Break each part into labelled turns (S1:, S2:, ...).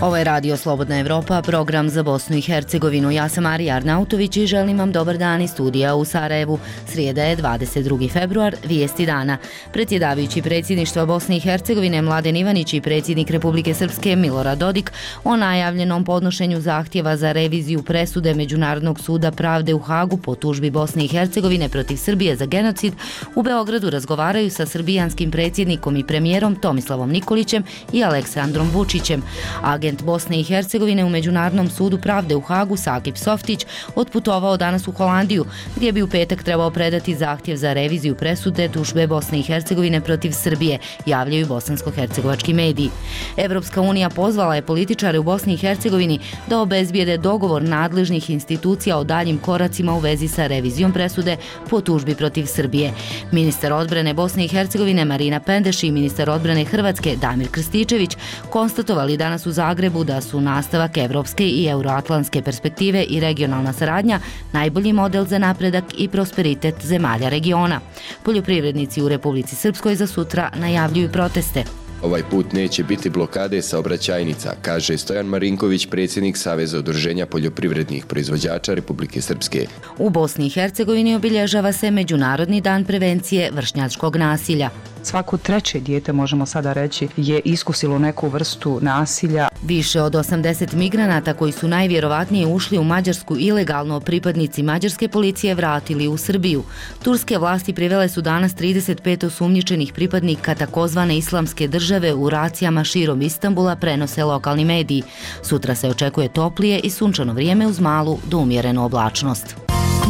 S1: Ovo je Radio Slobodna Evropa, program za Bosnu i Hercegovinu. Ja sam Marija Arnautović i želim vam dobar dan iz studija u Sarajevu. Srijeda je 22. februar, vijesti dana. Predsjedavajući predsjedništva Bosne i Hercegovine Mladen Ivanić i predsjednik Republike Srpske Milorad Dodik o najavljenom podnošenju zahtjeva za reviziju presude Međunarodnog suda pravde u Hagu po tužbi Bosne i Hercegovine protiv Srbije za genocid u Beogradu razgovaraju sa srbijanskim predsjednikom i premijerom Tomislavom Nikolićem i Aleksandrom Vučićem. Agent Bosne i Hercegovine u Međunarodnom sudu pravde u Hagu Sakip Softić otputovao danas u Holandiju, gdje bi u petak trebao predati zahtjev za reviziju presude tužbe Bosne i Hercegovine protiv Srbije, javljaju bosansko-hercegovački mediji. Evropska unija pozvala je političare u Bosni i Hercegovini da obezbijede dogovor nadležnih institucija o daljim koracima u vezi sa revizijom presude po tužbi protiv Srbije. Ministar odbrane Bosne i Hercegovine Marina Pendeš i ministar odbrane Hrvatske Damir Krstičević konstatovali danas u Zagrebu da su nastavak evropske i euroatlantske perspektive i regionalna saradnja najbolji model za napredak i prosperitet zemalja regiona. Poljoprivrednici u Republici Srpskoj za sutra najavljuju proteste.
S2: Ovaj put neće biti blokade saobraćajnica, kaže Stojan Marinković, predsjednik Saveza udruženja poljoprivrednih proizvođača Republike Srpske.
S1: U Bosni i Hercegovini obilježava se Međunarodni dan prevencije vršnjačkog nasilja.
S3: Svako treće dijete, možemo sada reći, je iskusilo neku vrstu nasilja.
S1: Više od 80 migranata koji su najvjerovatnije ušli u Mađarsku ilegalno pripadnici mađarske policije vratili u Srbiju. Turske vlasti privele su danas 35 osumnjičenih pripadnika takozvane islamske države u racijama širom Istanbula, prenose lokalni mediji. Sutra se očekuje toplije i sunčano vrijeme uz malu do umjerenu oblačnost.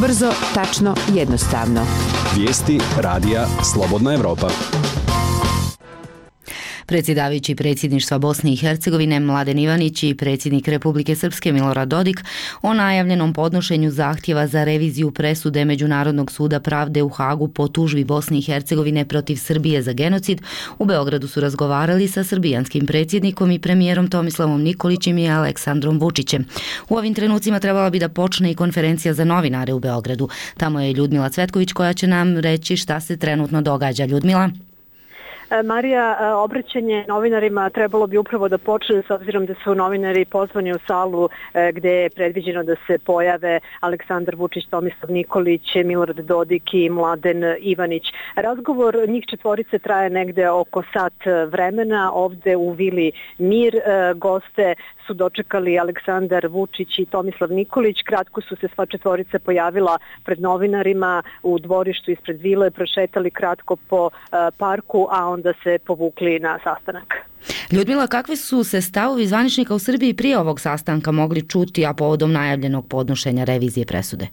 S4: Brzo, tačno, jednostavno.
S5: Vijesti radija Slobodna Evropa.
S1: Predsjedavajući predsjedništva Bosne i Hercegovine Mladen Ivanić i predsjednik Republike Srpske Milorad Dodik o najavljenom podnošenju zahtjeva za reviziju presude Međunarodnog suda pravde u Hagu po tužbi Bosne i Hercegovine protiv Srbije za genocid u Beogradu su razgovarali sa srbijanskim predsjednikom i premijerom Tomislavom Nikolićem i Aleksandrom Vučićem. U ovim trenucima trebala bi da počne i konferencija za novinare u Beogradu. Tamo je Ljudmila Cvetković koja će nam reći šta se trenutno događa. Ljudmila?
S6: Marija, obraćanje novinarima trebalo bi upravo da počne s obzirom da su novinari pozvani u salu gdje je predviđeno da se pojave Aleksandar Vučić, Tomislav Nikolić, Milorad Dodik i Mladen Ivanić. Razgovor njih četvorice traje negde oko sat vremena ovdje u Vili Mir. Goste su dočekali Aleksandar Vučić i Tomislav Nikolić. Kratko su se sva četvorica pojavila pred novinarima u dvorištu ispred vile, prošetali kratko po parku, a onda se povukli na sastanak.
S1: Ljudmila, kakvi su se stavovi zvaničnika u Srbiji prije ovog sastanka mogli čuti, a povodom najavljenog podnošenja revizije presude?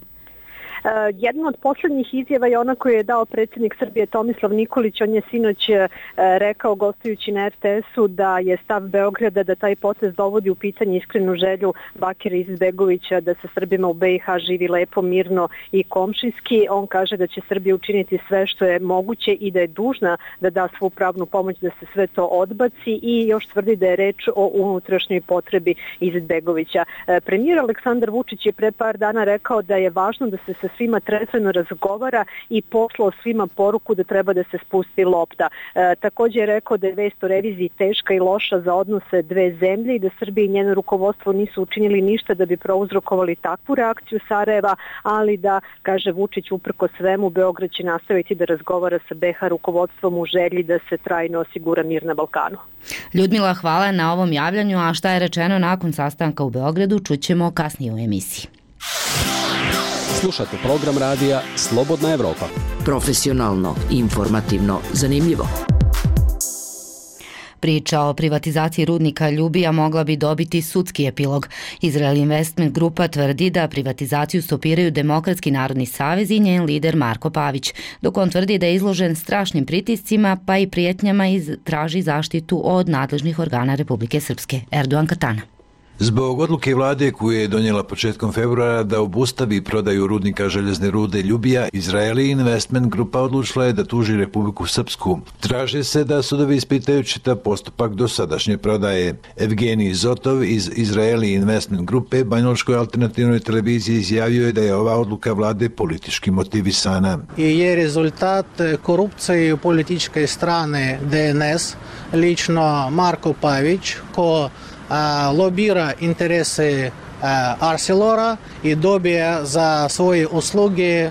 S6: Jedna od posljednjih izjava je ona koju je dao predsjednik Srbije Tomislav Nikolić. On je sinoć rekao gostujući na RTS-u da je stav Beograda da taj potez dovodi u pitanje iskrenu želju Bakira Izetbegovića da se Srbima u BiH živi lepo, mirno i komšijski. On kaže da će Srbija učiniti sve što je moguće i da je dužna da da svu pravnu pomoć da se sve to odbaci i još tvrdi da je reč o unutrašnjoj potrebi Izetbegovića. Premijer Aleksandar Vučić je pre par dana rekao da je važno da se sa svima trezveno razgovara i poslao svima poruku da treba da se spusti lopta. Također je rekao da je vest o reviziji teška i loša za odnose dve zemlje i da Srbija i njeno rukovodstvo nisu učinili ništa da bi prouzrokovali takvu reakciju Sarajeva, ali da, kaže Vučić, uprko svemu Beograd će nastaviti da razgovara sa BiH rukovodstvom u želji da se trajno osigura mir na Balkanu.
S1: Ljudmila, hvala na ovom javljanju, a šta je rečeno nakon sastanka u Beogradu čućemo kasnije u emisiji.
S5: Slušate program radija Slobodna Evropa.
S4: Profesionalno, informativno, zanimljivo.
S1: Priča o privatizaciji rudnika Ljubija mogla bi dobiti sudski epilog. Izrael Investment Grupa tvrdi da privatizaciju stopiraju Demokratski narodni savez i njen lider Marko Pavić, dok on tvrdi da je izložen strašnim pritiscima pa i prijetnjama i traži zaštitu od nadležnih organa Republike Srpske. Erdogan Katana.
S7: Zbog odluke vlade koju je donijela početkom februara da obustavi prodaju rudnika željezne rude Ljubija, Izrael Investment Grupa odlučila je da tuži Republiku Srpsku. Traže se da sudovi ispitaju čitav postupak dosadašnje prodaje. Evgenij Zotov iz Izrael Investment Grupe Banjalučkoj alternativnoj televiziji izjavio je da je ova odluka vlade politički motivisana.
S8: I je rezultat korupcije političke strane DNS, lično Marko Pavić, ko lobira interese Arcelora i dobija za svoje usluge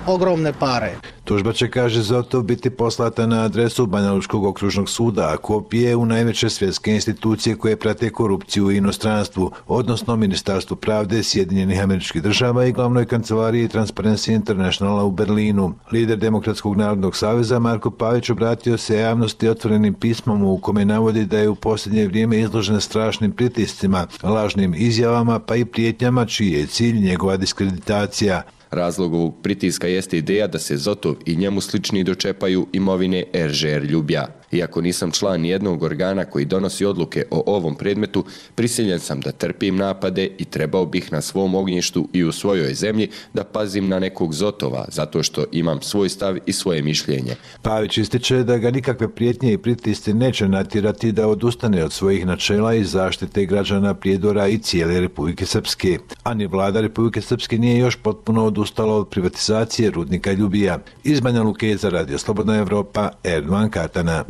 S8: ogromne pare.
S7: Tužba će, kaže Zotov, biti poslata na adresu Banjalučkog okružnog suda, a kopije u najveće svjetske institucije koje prate korupciju u inostranstvu, odnosno Ministarstvu pravde Sjedinjenih Američkih Država i glavnoj kancelariji Transparency Internationala u Berlinu. Lider Demokratskog narodnog saveza Marko Pavić obratio se javnosti otvorenim pismom u kome navodi da je u posljednje vrijeme izložen strašnim pritiscima, lažnim izjavama pa i prijetnjama čiji je cilj njegova diskreditacija.
S2: Razlog ovog pritiska jeste ideja da se Zotov i njemu slični dočepaju imovine RŽR Ljubija. Iako nisam član nijednog organa koji donosi odluke o ovom predmetu, prisiljen sam da trpim napade i trebao bih na svom ognjištu i u svojoj zemlji da pazim na nekog Zotova, zato što imam svoj stav i svoje mišljenje.
S7: Pavić ističe da ga nikakve prijetnje i pritisci neće natjerati da odustane od svojih načela i zaštite građana Prijedora i cijele Republike Srpske. A ni vlada Republike Srpske nije još potpuno odustala od privatizacije rudnika Ljubija. Iz Banja Luke za Radio Slobodna Evropa, Erdovan Katana.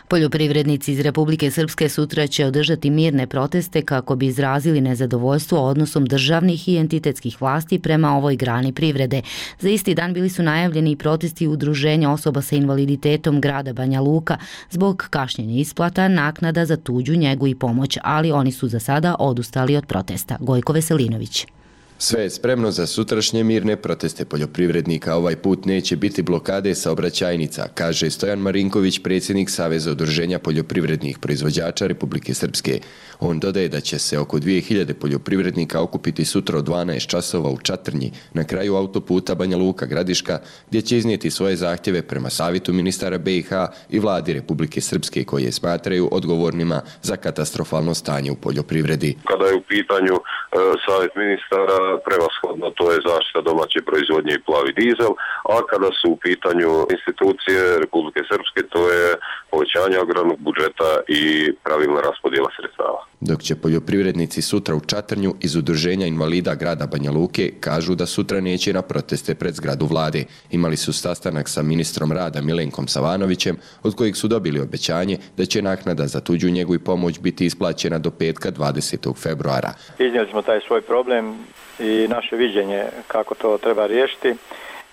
S1: Poljoprivrednici iz Republike Srpske sutra će održati mirne proteste kako bi izrazili nezadovoljstvo odnosom državnih i entitetskih vlasti prema ovoj grani privrede. Za isti dan bili su najavljeni i protesti udruženja osoba sa invaliditetom grada Banja Luka zbog kašnjenja isplata naknada za tuđu njegu i pomoć, ali oni su za sada odustali od protesta. Gojko Veselinović.
S2: Sve je spremno za sutrašnje mirne proteste poljoprivrednika. Ovaj put neće biti blokade saobraćajnica, kaže Stojan Marinković, predsjednik Saveza udruženja poljoprivrednih proizvođača Republike Srpske. On dodaje da će se oko 2000 poljoprivrednika okupiti sutra od 12 časova u Čatrnji, na kraju autoputa Banja Luka-Gradiška, gdje će iznijeti svoje zahtjeve prema Savjetu ministara BiH i vladi Republike Srpske, koje smatraju odgovornima za katastrofalno stanje u poljoprivredi.
S9: Kada je u pitanju Savjet ministara, prevashodno to je zaštita domaće proizvodnje i plavi dizel, a kada su u pitanju institucije Republike Srpske, to je povećanje agrarnog budžeta i pravilna raspodjela sredstava.
S2: Dok će poljoprivrednici sutra u Čatrnju iz Udruženja invalida grada Banja Luke kažu da sutra neće na proteste pred zgradu vlade. Imali su sastanak sa ministrom rada Milenkom Savanovićem, od kojeg su dobili obećanje da će naknada za tuđu njegu i pomoć biti isplaćena do petka 20. februara.
S10: Iznijeli smo taj svoj problem i naše viđenje kako to treba riješiti.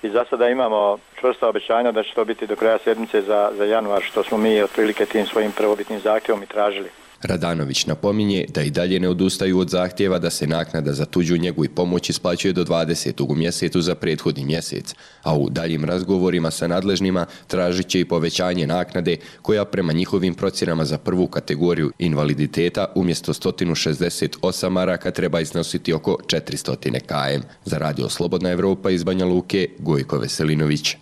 S10: I za sada imamo čvrsta obećanja da će to biti do kraja sedmice za januar, što smo mi otprilike tim svojim prvobitnim zahtjevom i tražili.
S2: Radanović napominje da i dalje ne odustaju od zahtjeva da se naknada za tuđu njegu i pomoć isplaćuje do 20. u mjesecu za prethodni mjesec, a u daljim razgovorima sa nadležnima tražit će i povećanje naknade koja prema njihovim procjenama za prvu kategoriju invaliditeta umjesto 168 maraka treba iznositi oko 400 km. Za Radio Slobodna Evropa iz Banja Luke, Gojko Veselinović.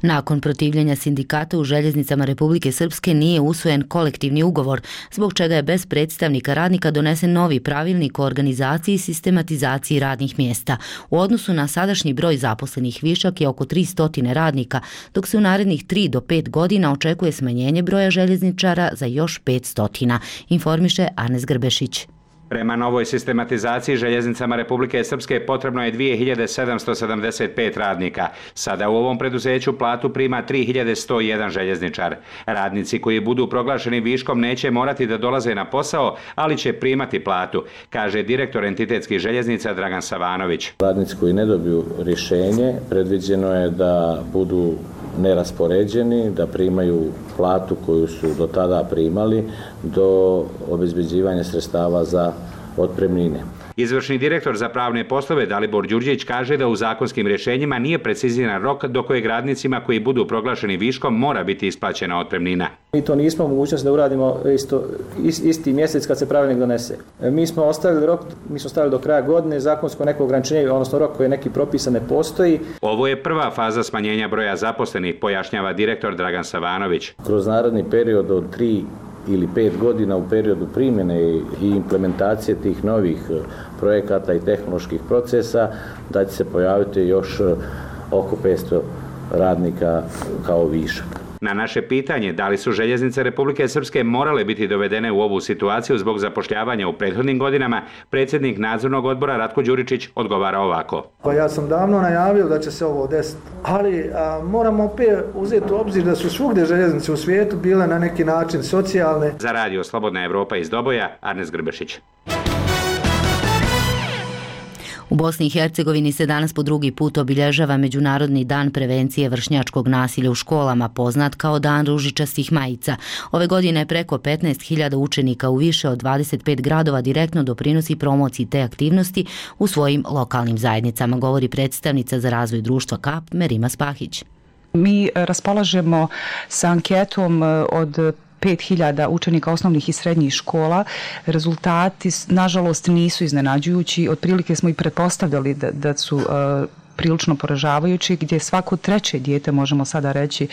S1: Nakon protivljenja sindikata u željeznicama Republike Srpske nije usvojen kolektivni ugovor, zbog čega je bez predstavnika radnika donesen novi pravilnik o organizaciji i sistematizaciji radnih mjesta. U odnosu na sadašnji broj zaposlenih višak je oko 300 radnika, dok se u narednih 3 do 5 godina očekuje smanjenje broja željezničara za još 500, informiše Arnes Grbešić.
S11: Prema novoj sistematizaciji željeznicama Republike Srpske potrebno je 2775 radnika. Sada u ovom preduzeću platu prima 3101 željezničar. Radnici koji budu proglašeni viškom neće morati da dolaze na posao, ali će primati platu, kaže direktor entitetskih željeznica Dragan Savanović.
S12: Radnici koji ne dobiju rješenje, predviđeno je da budu neraspoređeni, da primaju platu koju su do tada primali do obezbeđivanja sredstava za otpremnine.
S11: Izvršni direktor za pravne poslove Dalibor Đurđević kaže da u zakonskim rješenjima nije preciziran rok do kojeg radnicima koji budu proglašeni viškom mora biti isplaćena otpremnina.
S13: Mi to nismo mogućnost da uradimo isti mjesec kad se pravilnik donese. Mi smo ostavili rok, do kraja godine, zakonsko neko ograničenje, odnosno rok koji je neki propisan ne postoji.
S11: Ovo je prva faza smanjenja broja zaposlenih, pojašnjava direktor Dragan Savanović.
S12: Kroz naredni period od 3 ili 5 godina u periodu primjene i implementacije tih novih projekata i tehnoloških procesa da će se pojaviti još oko 500 radnika kao višak.
S11: Na naše pitanje da li su željeznice Republike Srpske morale biti dovedene u ovu situaciju zbog zapošljavanja u prethodnim godinama, predsjednik nadzornog odbora Ratko Đuričić odgovara ovako.
S14: Pa ja sam davno najavio da će se ovo desiti, ali moramo opet uzeti u obzir da su svugdje željeznice u svijetu bile na neki način socijalne.
S11: Za radio Slobodna Evropa iz Doboja, Arnes Grbešić.
S1: U Bosni i Hercegovini se danas po drugi put obilježava Međunarodni dan prevencije vršnjačkog nasilja u školama, poznat kao Dan ružičastih majica. Ove godine preko 15.000 učenika u više od 25 gradova direktno doprinosi promociji te aktivnosti u svojim lokalnim zajednicama, govori predstavnica za razvoj društva KAP Merima Spahić.
S3: Mi raspolažemo sa anketom od 5.000 učenika osnovnih i srednjih škola. Rezultati, nažalost, nisu iznenađujući. Otprilike smo i pretpostavljali da su prilično poražavajući, gdje svako treće dijete, možemo sada reći,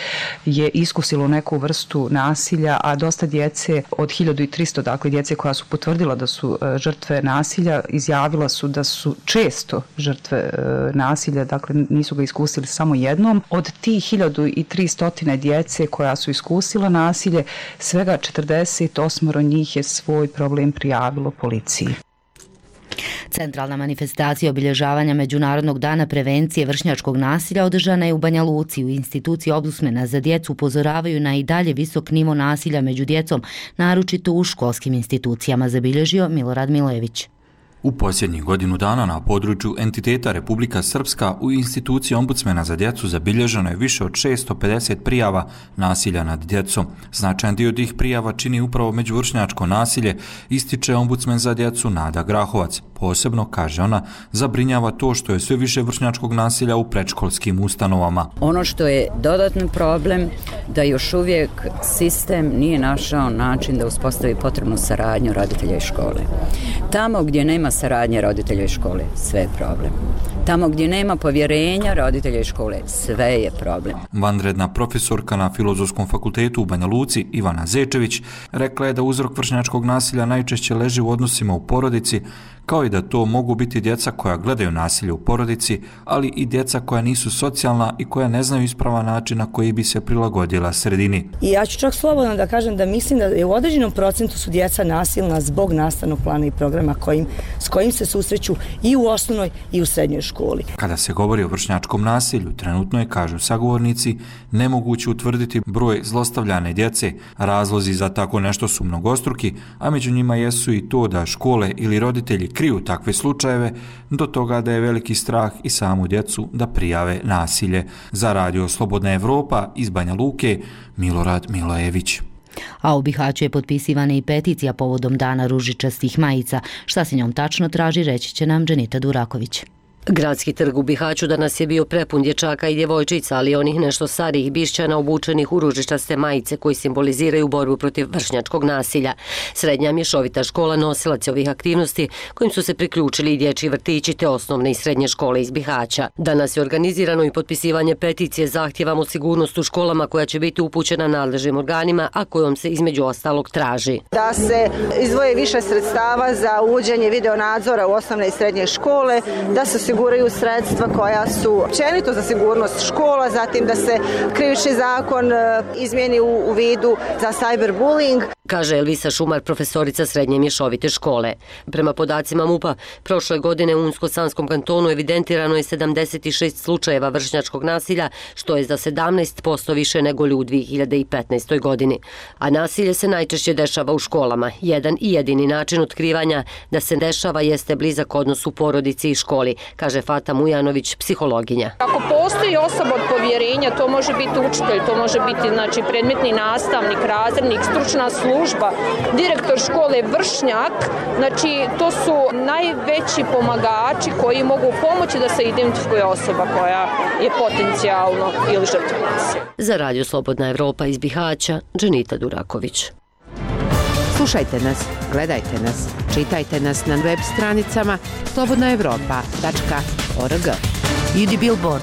S3: je iskusilo neku vrstu nasilja, a dosta djece, od 1300, dakle djece koja su potvrdila da su žrtve nasilja, izjavila su da su često žrtve nasilja, dakle nisu ga iskusili samo jednom. Od tih 1300 djece koja su iskusila nasilje, svega 48 njih je svoj problem prijavilo policiji.
S1: Centralna manifestacija obilježavanja Međunarodnog dana prevencije vršnjačkog nasilja održana je u Banja Luci. U instituciji Ombudsmena za djecu upozoravaju na i dalje visok nivo nasilja među djecom, naročito u školskim institucijama, zabilježio Milorad Milojević.
S15: U posljednjih godinu dana na području entiteta Republika Srpska u instituciji Ombudsmena za djecu zabilježeno je više od 650 prijava nasilja nad djecom. Značajan dio tih prijava čini upravo međuvršnjačko nasilje, ističe Ombudsmen za djecu Nada Grahovac. Posebno, kaže ona, zabrinjava to što je sve više vršnjačkog nasilja u predškolskim ustanovama.
S16: Ono što je dodatni problem da još uvijek sistem nije našao način da uspostavi potrebnu saradnju roditelja i škole. Tamo gdje nema saradnje roditelja i škole, sve je problem. Tamo gdje nema povjerenja roditelja i škole, sve je problem.
S15: Vanredna profesorka na Filozofskom fakultetu u Banja Luci, Ivana Zečević, rekla je da uzrok vršnjačkog nasilja najčešće leži u odnosima u porodici, kao i da to mogu biti djeca koja gledaju nasilje u porodici, ali i djeca koja nisu socijalna i koja ne znaju ispravan način na koji bi se prilagodila sredini.
S17: I ja ću čak slobodno da kažem da mislim da je u određenom procentu su djeca nasilna zbog nastavnog plana i programa s kojim se susreću i u osnovnoj i u srednjoj školi.
S15: Kada se govori o vršnjačkom nasilju, trenutno je, kažu sagovornici, nemoguće utvrditi broj zlostavljane djece. Razlozi za tako nešto su mnogostruki, a među njima jesu i to da škole ili roditelji kriju takve slučajeve, do toga da je veliki strah i samu djecu da prijave nasilje. Za radio Slobodna Evropa iz Banja Luke, Milorad Milojević.
S1: A u Bihaću je potpisivana i peticija povodom Dana ružičastih majica. Šta se njom tačno traži, reći će nam Dženita Duraković.
S18: Gradski trg u Bihaću danas je bio prepun dječaka i djevojčica, ali onih nešto starijih Bišćana obučenih u ružičaste majice koji simboliziraju borbu protiv vršnjačkog nasilja. Srednja mješovita škola nosilac je ovih aktivnosti kojim su se priključili i dječji vrtići te osnovne i srednje škole iz Bihaća. Danas je organizirano i potpisivanje peticije Zahtijevamo sigurnost u školama koja će biti upućena nadležnim organima, a kojom se između ostalog traži
S19: da se izdvoje više sredstava za uvođenje videonadzora u osnovne i srednje škole, da se osiguraju sredstva koja su općenito za sigurnost škola, zatim da se krivični zakon izmijeni u vidu za cyberbullying.
S18: Kaže Elvisa Šumar, profesorica srednje mješovite škole. Prema podacima MUP-a, prošle godine u Unsko-Sanskom kantonu evidentirano je 76 slučajeva vršnjačkog nasilja, što je za 17% više nego u 2015. godini. A nasilje se najčešće dešava u školama. Jedan i jedini način otkrivanja da se dešava jeste blizak odnos u porodici i školi, kaže Fata Mujanović, psihologinja.
S20: Ako postoji osoba od povjerenja, to može biti učitelj, to može biti predmetni nastavnik, razrednik, stručna služba, direktor škole, vršnjak, to su najveći pomagači koji mogu pomoći da se identifikuje osoba koja je potencijalno ili žrtva nasilja.
S18: Za radio Slobodna Evropa iz Bihaća, Dženita Duraković.
S4: Slušajte nas, gledajte nas, čitajte nas na web stranicama slobodnaevropa.org.
S1: Idi Billboard.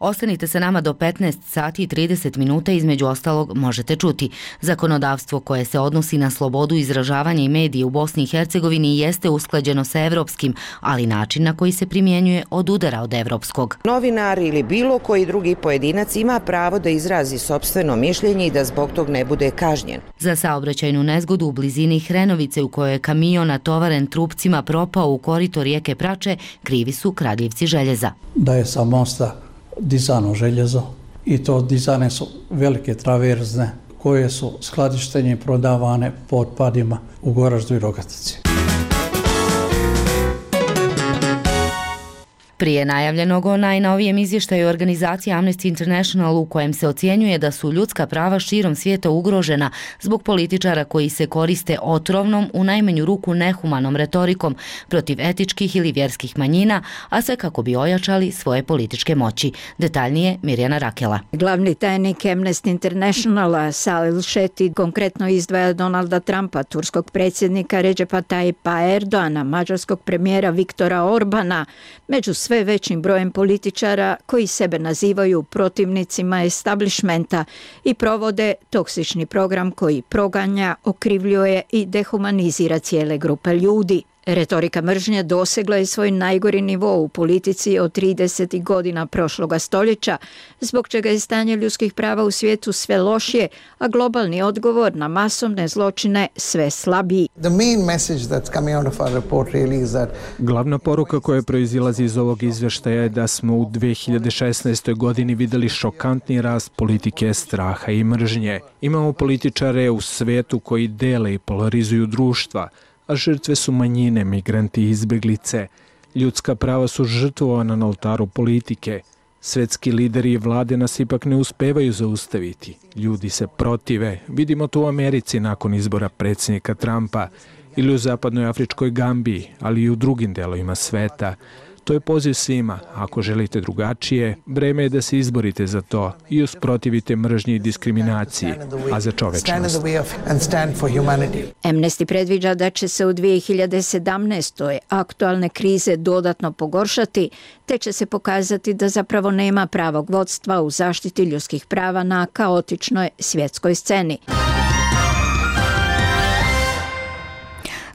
S1: Ostanite sa nama do 15 sati i 30 minuta, između ostalog možete čuti. Zakonodavstvo koje se odnosi na slobodu izražavanja i medije u Bosni i Hercegovini jeste usklađeno sa evropskim, ali način na koji se primjenjuje odudara od evropskog.
S4: Novinar ili bilo koji drugi pojedinac ima pravo da izrazi sopstveno mišljenje i da zbog tog ne bude kažnjen.
S1: Za saobraćajnu nezgodu u blizini Hrenovice u kojoj je kamion natovaren trupcima propao u korito rijeke Prače, krivi su kradljivci željeza.
S21: Da je sa mosta dizano željezo i to dizane su velike traverzne koje su skladištenje i prodavane po otpadima u Goraždu i Rogatici.
S1: Prije najavljenog o najnovijem izvještaju organizacije Amnesty International u kojem se ocjenjuje da su ljudska prava širom svijeta ugrožena zbog političara koji se koriste otrovnom, u najmanju ruku nehumanom retorikom protiv etičkih ili vjerskih manjina, a sve kako bi ojačali svoje političke moći. Detaljnije Mirjana Rakela.
S22: Glavni tajnik Amnesty Internationala Salil Šeti konkretno izdvaja Donalda Trumpa, turskog predsjednika Recepa Tayyipa Erdoana, mađarskog premijera Viktora Orbana, među sve većim brojem političara koji sebe nazivaju protivnicima establishmenta i provode toksični program koji proganja, okrivljuje i dehumanizira cijele grupe ljudi. Retorika mržnje dosegla je svoj najgori nivo u politici od 30. godina prošloga stoljeća, zbog čega je stanje ljudskih prava u svijetu sve lošije, a globalni odgovor na masovne zločine sve slabiji.
S23: Glavna poruka koja proizilazi iz ovog izvještaja je da smo u 2016. godini vidjeli šokantni rast politike straha i mržnje. Imamo političare u svijetu koji dele i polarizuju društva, a žrtve su manjine, migranti i izbjeglice. Ljudska prava su žrtvovana na oltaru politike. Svetski lideri i vlade nas ipak ne uspevaju zaustaviti. Ljudi se protive. Vidimo to u Americi nakon izbora predsjednika Trumpa ili u zapadnoj Afričkoj Gambiji, ali i u drugim delovima sveta. To je poziv svima. Ako želite drugačije, vreme je da se izborite za to i usprotivite mržnji i diskriminaciji, a za čovečnost.
S22: Amnesty predviđa da će se u 2017. aktualne krize dodatno pogoršati, te će se pokazati da zapravo nema pravog vodstva u zaštiti ljudskih prava na kaotičnoj svjetskoj sceni.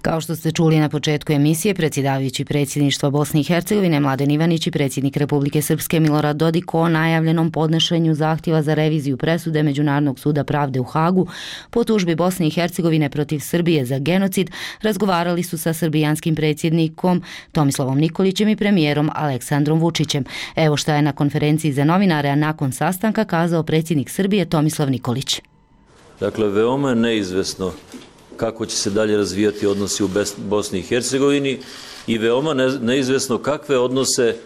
S1: Kao što ste čuli na početku emisije, predsjedavajući predsjedništva Bosne i Hercegovine Mladen Ivanić i predsjednik Republike Srpske Milorad Dodik o najavljenom podnošenju zahtjeva za reviziju presude Međunarodnog suda pravde u Hagu po tužbi Bosne i Hercegovine protiv Srbije za genocid razgovarali su sa srbijanskim predsjednikom Tomislavom Nikolićem i premijerom Aleksandrom Vučićem. Evo šta je na konferenciji za novinare, a nakon sastanka kazao predsjednik Srbije Tomislav Nikolić.
S24: Dakle, veoma je neizvesno kako će se dalje razvijati odnosi u Bosni i Hercegovini i veoma neizvesno kakve odnose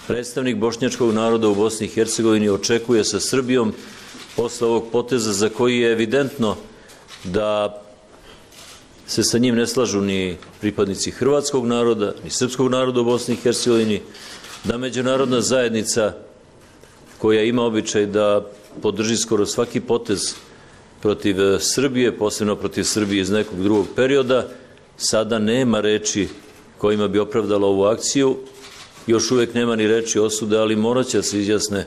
S24: predstavnik bošnjačkog naroda u Bosni i Hercegovini očekuje sa Srbijom posle ovog poteza za koji je evidentno da se sa njim ne slažu ni pripadnici hrvatskog naroda, ni srpskog naroda u Bosni i Hercegovini, da međunarodna zajednica koja ima običaj da podrži skoro svaki potez protiv Srbije, posebno protiv Srbije iz nekog drugog perioda, sada nema reči kojima bi opravdala ovu akciju. Još uvijek nema ni reči osude, ali morat će se izjasne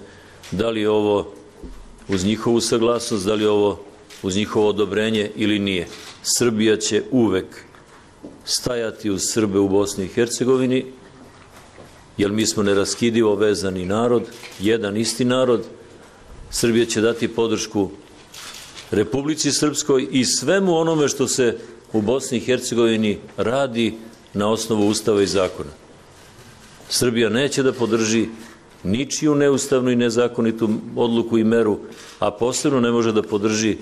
S24: da li je ovo uz njihovu saglasnost, da li je ovo uz njihovo odobrenje ili nije. Srbija će uvek stajati uz Srbe u Bosni i Hercegovini, jer mi smo neraskidivo vezani narod, jedan isti narod. Srbija će dati podršku Republici Srpskoj i svemu onome što se u Bosni i Hercegovini radi na osnovu Ustava i zakona. Srbija neće da podrži ničiju neustavnu i nezakonitu odluku i meru, a posebno ne može da podrži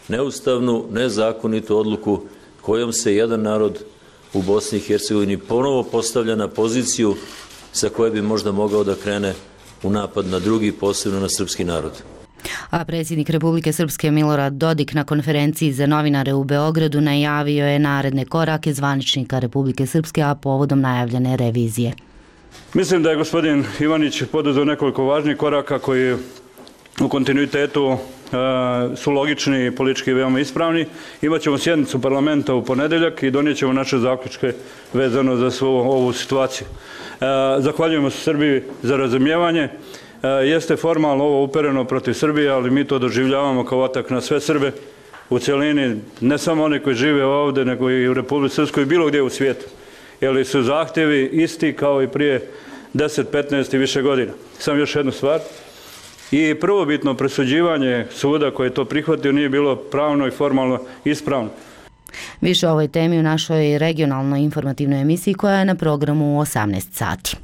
S24: neustavnu, nezakonitu odluku kojom se jedan narod u Bosni i Hercegovini ponovo postavlja na poziciju sa koje bi možda mogao da krene u napad na drugi, posebno na srpski narod.
S1: A predsjednik Republike Srpske Milorad Dodik na konferenciji za novinare u Beogradu najavio je naredne korake zvaničnika Republike Srpske, a povodom najavljene revizije.
S25: Mislim da je gospodin Ivanić poduzeo nekoliko važnih koraka koji u kontinuitetu su logični i politički veoma ispravni. Imaćemo sjednicu parlamenta u ponedeljak i donijet ćemo naše zaključke vezano za svu ovu situaciju. Zahvaljujemo se Srbiji za razumijevanje. Jeste formalno ovo upereno protiv Srbije, ali mi to doživljavamo kao atak na sve Srbe u cjelini, ne samo one koji žive ovdje, nego i u Republici Srpskoj i bilo gdje u svijetu. Jer su zahtjevi isti kao i prije 10, 15 i više godina. Samo još jednu stvar. I prvobitno presuđivanje suda koji je to prihvatio nije bilo pravno i formalno ispravno.
S1: Više o ovoj temi u našoj regionalnoj informativnoj emisiji koja je na programu u 18 sati.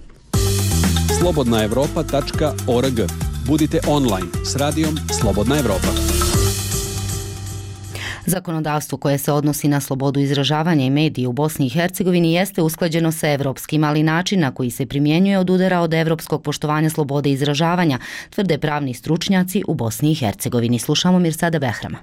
S5: slobodnaevropa.org. Budite online s radijom Slobodna Evropa.
S1: Zakonodavstvo koje se odnosi na slobodu izražavanja i medije u Bosni i Hercegovini jeste usklađeno sa evropskim, ali način na koji se primjenjuje odudara od evropskog poštovanja slobode izražavanja, tvrde pravni stručnjaci u Bosni i Hercegovini. Slušamo Mirsada Behrama.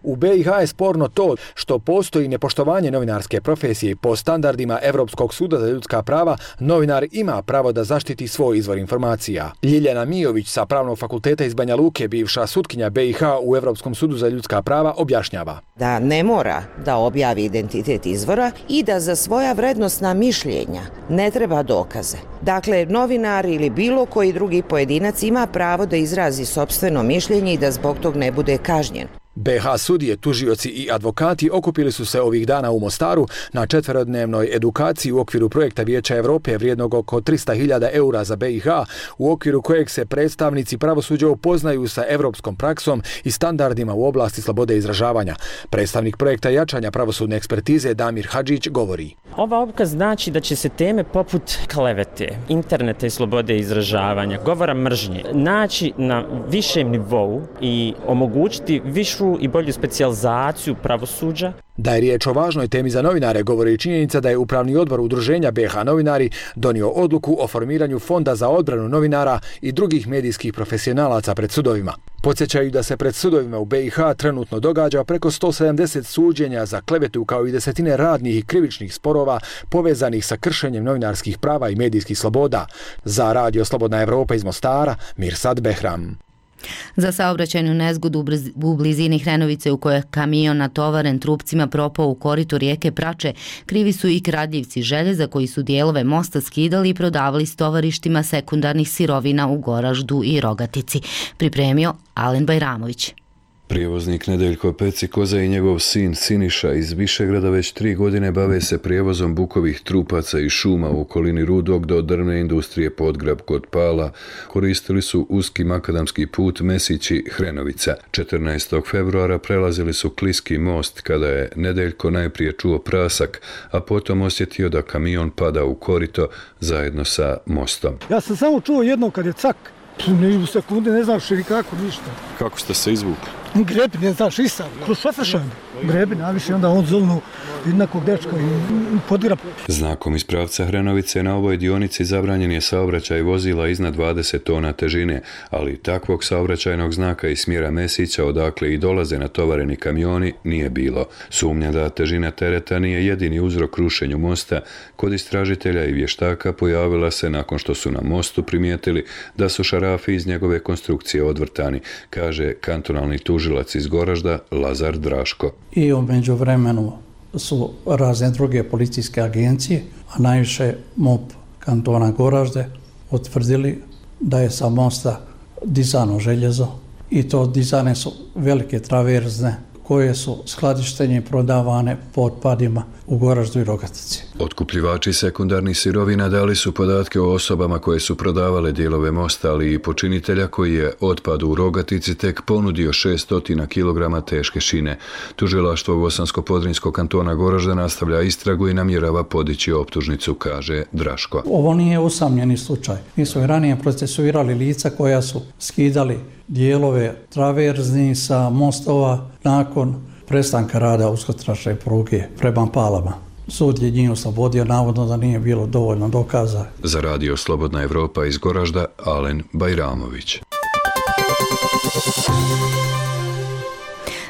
S6: U BiH je sporno to što postoji nepoštovanje novinarske profesije. Po standardima Evropskog suda za ljudska prava, novinar ima pravo da zaštiti svoj izvor informacija. Ljiljana Mijović sa Pravnog fakulteta iz Banja Luke, bivša sutkinja BiH u Evropskom sudu za ljudska prava, objašnjava.
S4: Da ne mora da objavi identitet izvora i da za svoja vrednosna mišljenja ne treba dokaze. Dakle, novinar ili bilo koji drugi pojedinac ima pravo da izrazi sopstveno mišljenje i da zbog tog ne bude kažnjen.
S6: BiH sudije, tužioci i advokati okupili su se ovih dana u Mostaru na 4-dnevnoj edukaciji u okviru projekta Vijeća Evrope vrijednog oko 300.000 eura za BiH, u okviru kojeg se predstavnici pravosuđa upoznaju sa evropskom praksom i standardima u oblasti slobode izražavanja. Predstavnik projekta jačanja pravosudne ekspertize Damir Hadžić govori.
S7: Ova obuka znači da će se teme poput klevete, interneta i slobode izražavanja, govora mržnje, naći na višem nivou i omogućiti višu i bolju specijalizaciju pravosuđa.
S6: Da je riječ o važnoj temi za novinare, govori i činjenica da je Upravni odbor Udruženja BiH novinari donio odluku o formiranju Fonda za odbranu novinara i drugih medijskih profesionalaca pred sudovima. Podsjećaju da se pred sudovima u BiH trenutno događa preko 170 suđenja za klevetu kao i desetine radnih i krivičnih sporova povezanih sa kršenjem novinarskih prava i medijskih sloboda. Za Radio Slobodna Evropa iz Mostara, Mirsad Behram.
S1: Za saobraćajnu nezgodu u blizini Hrenovice u kojoj je kamion natovaren trupcima propao u koritu rijeke Prače, krivi su i kradljivci željeza koji su dijelove mosta skidali i prodavali s tovarištima sekundarnih sirovina u Goraždu i Rogatici. Pripremio Alen Bajramović.
S8: Prijevoznik Nedeljko Pecikoza i njegov sin Siniša iz Višegrada već 3 godine bave se prijevozom bukovih trupaca i šuma u okolini Rudog do drvne industrije Podgrab kod Pala. Koristili su uski makadamski put Mesići-Hrenovica. 14. februara prelazili su Kliski most kada je Nedeljko najprije čuo prasak, a potom osjetio da kamion pada u korito zajedno sa mostom.
S9: Ja sam samo čuo jedno kad je cak, ne u sekunde, ne znaš ili kako, ništa.
S8: Kako ste se izvukli?
S9: Grebi, ne znaš, i sam, kroz šofašan. Grebi, naviše, onda on zovnu jednakog dečka i Podgrab.
S8: Znakom iz pravca Hrenovice na ovoj dionici zabranjen je saobraćaj vozila iznad 20 tona težine, ali takvog saobraćajnog znaka iz smjera Mesića odakle i dolaze natovareni kamioni nije bilo. Sumnja da težina tereta nije jedini uzrok rušenju mosta kod istražitelja i vještaka pojavila se nakon što su na mostu primijetili da su šarafi iz njegove konstrukcije odvrtani, kaže kantonalni tužilac iz Goražda Lazar Draško.
S21: I u međuvremenu su razne druge policijske agencije, a najviše MUP kantona Goražde, utvrdili da je sa mosta dizano željezo i to dizane su velike traverzne koje su skladištenje prodavane po otpadima u Goraždu i Rogatici.
S8: Otkupljivači sekundarnih sirovina dali su podatke o osobama koje su prodavale dijelove mosta, ali i počinitelja koji je otpad u Rogatici tek ponudio 600 kg teške šine. Tužilaštvo Bosansko-Podrinjskog kantona Goražda nastavlja istragu i namjerava podići optužnicu, kaže Draško.
S21: Ovo nije usamljeni slučaj. Mi smo i ranije procesuirali lica koja su skidali dijelove traverzni sa mostova nakon prestanka rada uskotračne pruge prema Palama. Sud je njih oslobodio, navodno da nije bilo dovoljno dokaza.
S8: Za Radio Slobodna Evropa iz Goražda, Alen Bajramović.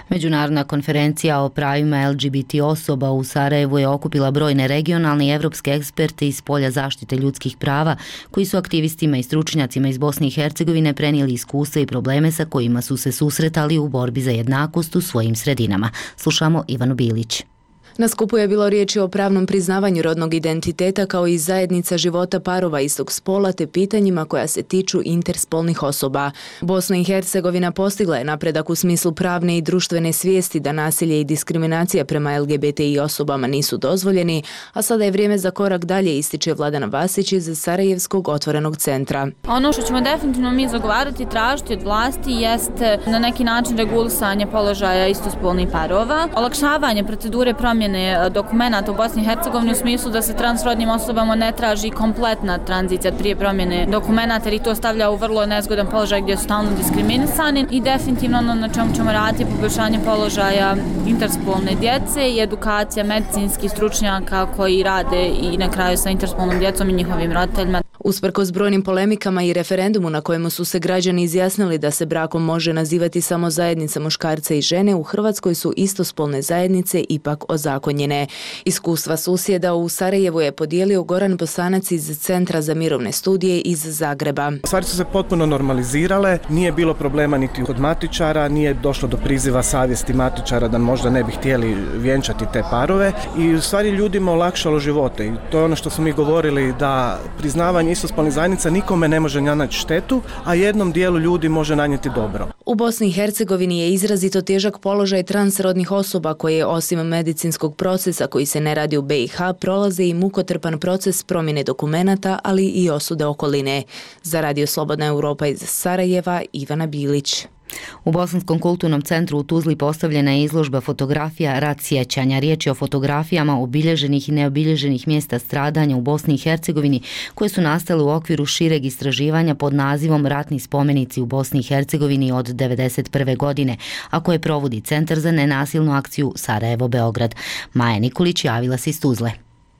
S1: Međunarodna konferencija o pravima LGBT osoba u Sarajevu je okupila brojne regionalne i evropske eksperte iz polja zaštite ljudskih prava koji su aktivistima i stručnjacima iz Bosne i Hercegovine prenijeli iskustva i probleme sa kojima su se susretali u borbi za jednakost u svojim sredinama. Slušamo Ivanu Bilić.
S2: Na skupu je bilo riječi o pravnom priznavanju rodnog identiteta kao i zajednica života parova istog spola te pitanjima koja se tiču interspolnih osoba. Bosna i Hercegovina postigla je napredak u smislu pravne i društvene svijesti da nasilje i diskriminacija prema LGBTI osobama nisu dozvoljeni, a sada je vrijeme za korak dalje, ističe Vladana Vasić iz Sarajevskog otvorenog centra.
S10: Ono što ćemo definitivno mi zagovarati i tražiti od vlasti jeste na neki način regulisanje položaja istospolnih parova, olakšavanje procedure promjene dokumenata u Bosni i Hercegovini u smislu da se transrodnim osobama ne traži kompletna tranzicija prije promjene dokumenata, jer ih to stavlja u vrlo nezgodan položaj gdje su stalno diskriminisani, i definitivno ono na čemu ćemo raditi poboljšanje položaja interspolne djece i edukacija medicinskih stručnjaka koji rade i na kraju sa interspolnom djecom i njihovim roditeljima.
S2: Usprkos brojnim polemikama i referendumu na kojemu su se građani izjasnili da se brakom može nazivati samo zajednica muškarca i žene, u Hrvatskoj su istospolne zajednice ipak ozakonjene. Iskustva susjeda u Sarajevu je podijelio Goran Bosanac iz Centra za mirovne studije iz Zagreba.
S12: Stvari su se potpuno normalizirale, nije bilo problema niti kod matičara, nije došlo do priziva savjesti matičara da možda ne bi htjeli vjenčati te parove i u stvari ljudima olakšalo živote. I to je ono što smo mi govorili, da priznavanje istospolnih zajednica nikome ne može nanijeti štetu, a jednom dijelu ljudi može nanijeti dobro.
S2: U Bosni i Hercegovini je izrazito težak položaj transrodnih osoba koje osim medicinskog procesa koji se ne radi u BiH prolaze i mukotrpan proces promjene dokumenata, ali i osude okoline. Za Radio Slobodna Europa iz Sarajeva, Ivana Bilić.
S1: U Bosanskom kulturnom centru u Tuzli postavljena je izložba fotografija Rat sjećanja. Riječ je o fotografijama obilježenih i neobilježenih mjesta stradanja u Bosni i Hercegovini koje su nastale u okviru šireg istraživanja pod nazivom Ratni spomenici u Bosni i Hercegovini od 1991. godine, a koje provodi Centar za nenasilnu akciju Sarajevo-Beograd. Maja Nikolić javila se iz Tuzle.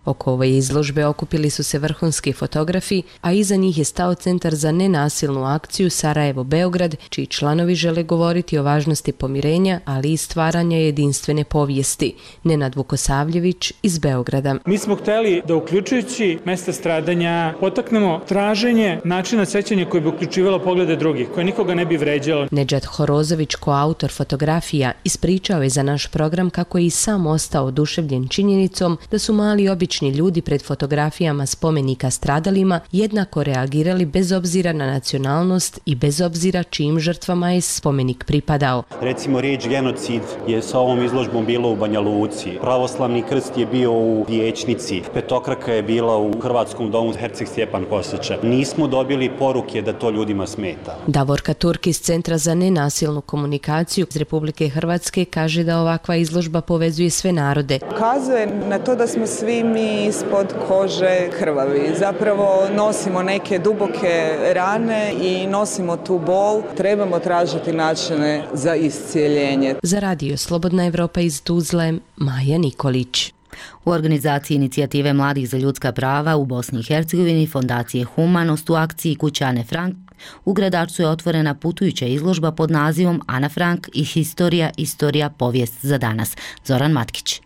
S13: Oko ove izložbe okupili su se vrhunski fotografi, a iza njih je stao Centar za nenasilnu akciju Sarajevo-Beograd, čiji članovi žele govoriti o važnosti pomirenja, ali i stvaranja jedinstvene povijesti. Nenad Vukosavljević iz Beograda.
S14: Mi smo htjeli da uključujući mjesta stradanja potaknemo traženje načina sećanja koje bi uključivalo poglede drugih, koje nikoga ne bi vređalo.
S13: Nedžad Horozović, koautor fotografija, ispričao je za naš program kako je i sam ostao oduševljen činjenicom da su mali obični ljudi pred fotografijama spomenika stradalima jednako reagirali bez obzira na nacionalnost i bez obzira čijim žrtvama je spomenik pripadao.
S26: Recimo riječ genocid je sa ovom izložbom bilo u Banja Luci, pravoslavni krst je bio u Vijećnici, petokraka je bila u Hrvatskom domu Herceg Stjepan Kostića. Nismo dobili poruke da to ljudima smeta.
S13: Davorka Turk iz Centra za nenasilnu komunikaciju iz Republike Hrvatske kaže da ovakva izložba povezuje sve narode.
S27: Ukazuje na to da smo svi mi ispod kože krvavi. Zapravo nosimo neke duboke rane i nosimo tu bol. Trebamo tražiti načine za iscijeljenje.
S13: Za Radio Slobodna Evropa iz Tuzle, Maja Nikolić.
S1: U organizaciji inicijative Mladih za ljudska prava u Bosni i Hercegovini Fondacije Humanost u akciji Kuća Ane Frank u Gradačcu je otvorena putujuća izložba pod nazivom Ana Frank i Historija, povijest za danas. Zoran Matkić.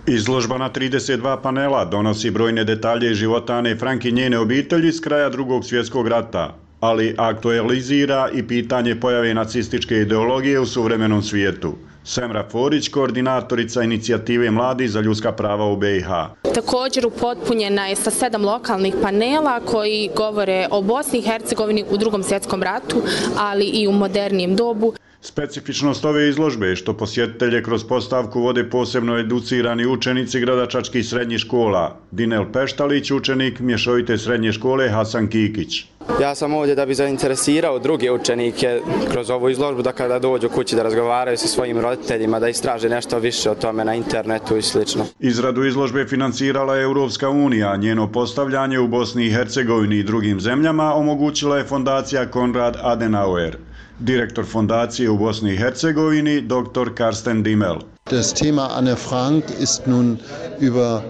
S28: Izložba na 32 panela donosi brojne detalje iz života Ane Frank i njene obitelji s kraja Drugog svjetskog rata, ali aktualizira i pitanje pojave nacističke ideologije u suvremenom svijetu. Semra Forić, koordinatorica inicijative Mladi za ljudska prava u BiH.
S29: Također upotpunjena je sa 7 lokalnih panela koji govore o Bosni i Hercegovini u Drugom svjetskom ratu, ali i u modernijem dobu.
S28: Specifičnost ove izložbe je što posjetitelje kroz postavku vode posebno educirani učenici gradačačkih srednjih škola. Dinel Peštalić, učenik mješovite srednje škole Hasan Kikić.
S30: Ja sam ovdje da bi zainteresirao druge učenike kroz ovu izložbu da kada dođu kući da razgovaraju sa svojim roditeljima, da istraže nešto više o tome na internetu i sl.
S28: Izradu izložbe financirala je Europska unija, njeno postavljanje u Bosni i Hercegovini i drugim zemljama omogućila je fondacija Konrad Adenauer. Direktor fondacije u Bosni i Hercegovini, dr. Karsten Dimmel.
S31: Das Thema Anne Frank ist nun über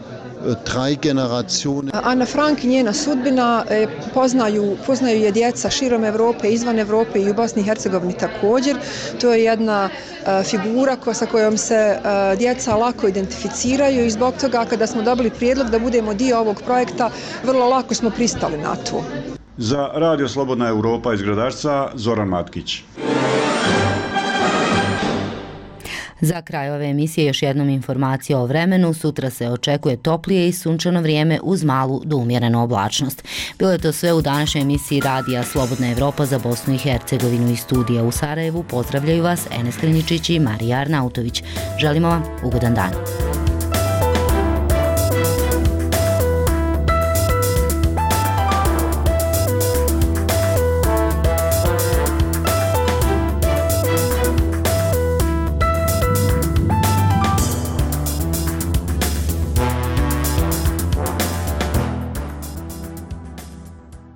S31: 3 generacije.
S32: Ana Frank i njena sudbina poznaju je djeca širom Europe, izvan Europe i u Bosni i Hercegovini također. To je jedna figura sa kojom se djeca lako identificiraju i zbog toga kada smo dobili prijedlog da budemo dio ovog projekta, vrlo lako smo pristali na to.
S28: Za Radio Slobodna Europa iz Gradačca, Zoran Matkić.
S1: Za kraj ove emisije još jednom informacija o vremenu. Sutra se očekuje toplije i sunčano vrijeme uz malu do umjerenu oblačnost. Bilo je to sve u današnjoj emisiji Radija Slobodna Evropa za Bosnu i Hercegovinu. Iz studija u Sarajevu pozdravljaju vas Enes Klinjičić i Marija Arnautović. Želimo vam ugodan dan.